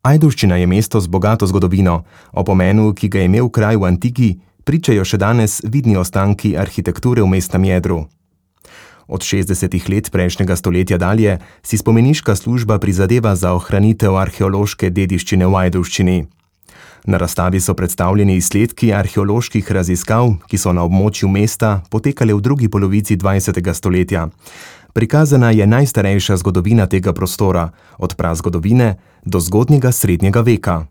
Ajdovščina je mesto z bogato zgodovino. O pomenu, ki ga je imel kraj v antiki, pričajo še danes vidni ostanki arhitekture v mestnem jedru. Od 60. let prejšnjega stoletja dalje si spomeniška služba prizadeva za ohranitev arheološke dediščine v Ajdovščini. Na razstavi so predstavljeni izsledki arheoloških raziskav, ki so na območju mesta potekale v drugi polovici 20. stoletja. Prikazana je najstarejša zgodovina tega prostora, od prazgodovine do zgodnjega srednjega veka.